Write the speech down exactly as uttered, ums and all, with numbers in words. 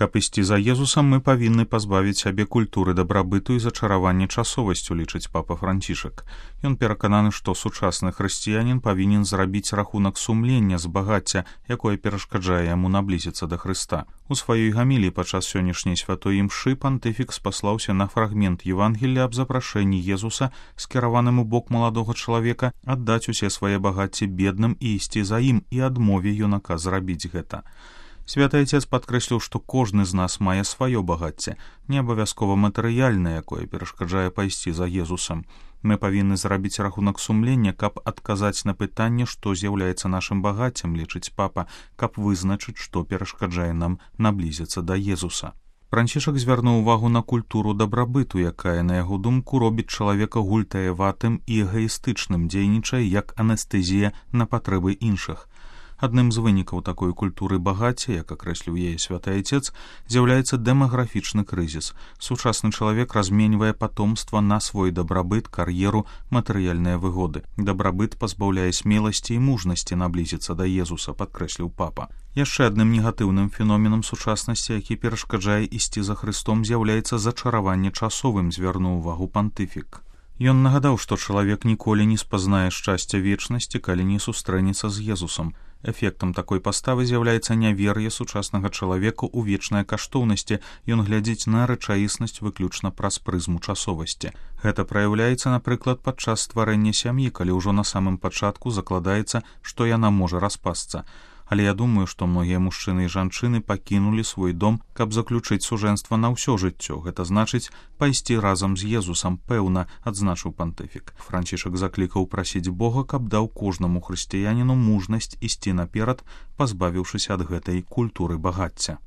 Каб ісці за Езусам, мы павінны пазбавіць сябе культуры дабрабыту і зачаравання часовасцю, лічыць папа Францішак. Ён перакананы, што сучасны хрысціянін павінен зрабіць рахунак сумлення з багацця, якое перашкаджае яму наблізіцца да Хрыста. У сваёй гаміліі падчас сённяшняй святой імшы пантыфік спаслаўся на фрагмент Евангелля аб запрашэнні Езуса, скіраваным у бок маладога чалавека, аддаць усе свае багацці бедным і ісці за ім, і адмове юнака зрабіць гэта. Святы Отец падкрэсліў, што кожны з нас мае сваё багацце, не абавязкова матэрыяльнае, якое перашкаджае пайсці за Езусам. Мы павінны зрабіць рахунак сумлення, каб адказаць на пытанне, што з'яўляецца нашым багаццем, лічыць папа, каб вызначыць, што перашкаджае нам наблізіцца да Езуса. Францішак звярнуў увагу на культуру дабрабыту, якая, на яго думку, робіць чалавека гультаяватым і эгаістычным, дзейнічае як анестэзія на патрэбы іншых. Адным з вынікаў такой культуры багацця, як акрэсліў яе святы Отец, з'яўляецца дэмаграфічны крызіс. Сучасны чалавек разменьвае патомства на свой дабрабыт, кар'еру, матэрыяльныя выгоды. Дабрабыт пазбаўляе смеласці і мужнасці наблізіцца да Езуса, падкрэсліў папа. Яшчэ адным негатыўным феноменам сучаснасці, які перашкаджае ісці за Хрыстом, з'яўляецца зачараванне часовым, звярнуў увагу пантыфік. Ён нагадаў, што чалавек ніколі не спазнае шчасця вечнасці, калі не сустрэнецца з Езусам. Эфектам такой паставы з'яўляецца нявер'е сучаснага чалавека ў вечныя каштоўнасці, ён глядзіць на рэчаіснасць выключна праз прызму часовасці. Гэта праяўляецца, напрыклад, падчас стварэння сям'і, калі ўжо на самым пачатку закладаецца, што яна можа распасцца. Але я думаю, што многія мужчыны і жанчыны пакінулі свой дом, каб заключыць сужэнства на ўсё жыццё. Гэта значыць пайсці разам з Езусам, пэўна, адзначыў пантыфік. Францішак заклікаў прасіць Бога, каб даў кожнаму хрысціяніну мужнасць ісці наперад, пазбавіўшыся ад гэтай культуры багацця.